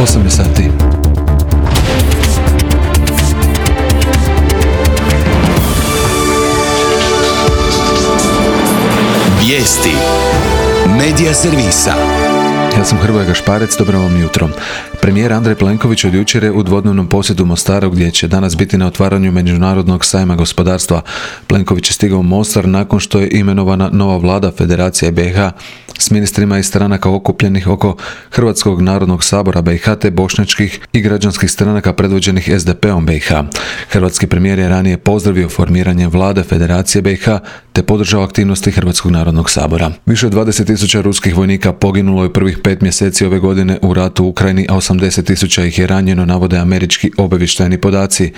8 je sati. Vijesti Medija servisa. Ja sam Hrvoje Gašparec, dobro vam jutro. Premijer Andrej Plenković od jučer je u dvodnevnom posjetu Mostaru gdje će danas biti na otvaranju Međunarodnog sajma gospodarstva. Plenković je stigao u Mostar nakon što je imenovana nova vlada Federacije BiH s ministrima iz stranaka okupljenih oko Hrvatskog narodnog sabora BiH te bošnjačkih i građanskih stranaka predvođenih SDP-om BiH. Hrvatski premijer je ranije pozdravio formiranje vlade Federacije BiH te podržao aktivnosti Hrvatskog narodnog sabora. Više od 20.000 ruskih vojnika poginulo je prvih 5 mjeseci ove godine u ratu u Ukrajini, a 80.000 ih je ranjeno, navode američki obavještajni podaci.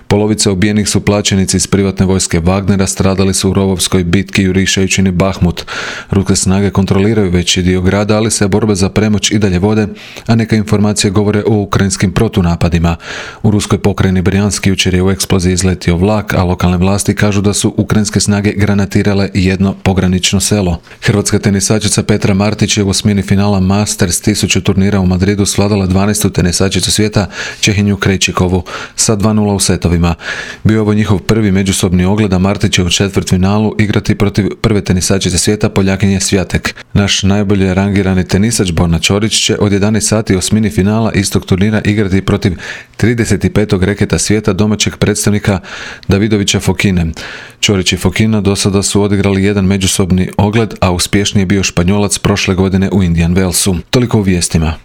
Polovica ubijenih su plaćenici iz privatne vojske Wagnera, stradali su u rovovskoj bitki jurišajući na Bahmut. Ruske snage kontroliraju veći dio grada, ali se borbe za premoć i dalje vode, a neke informacije govore o ukrajinskim protunapadima. U ruskoj pokrajini Brjanski jučer je u eksploziji izletio vlak, a lokalne vlasti kažu da su ukrajinske snage granatirale jedno pogranično selo. Hrvatska tenisačica Petra Martić je u osmini finala Masters 1000 turnira u Madridu svladala 12. tenisačicu svijeta Čehinju Krejčikovu sa 2:0 u setovima. Bio je ovo njihov prvi međusobni ogled, a Martić će u četvrtfinalu igrati protiv prve tenisačice svijeta Poljakinje Swiatek. Naš najbolje rangirani tenisač Borna Ćorić će od 11 sati osmini finala istog turnira igrati protiv 35. reketa svijeta domaćeg predstavnika Davidovića Fokine. Ćorić i Fokina do sada su odigrali jedan međusobni ogled, a uspješniji je bio Španjolac prošle godine u Indian Wellsu. Toliko u vijestima.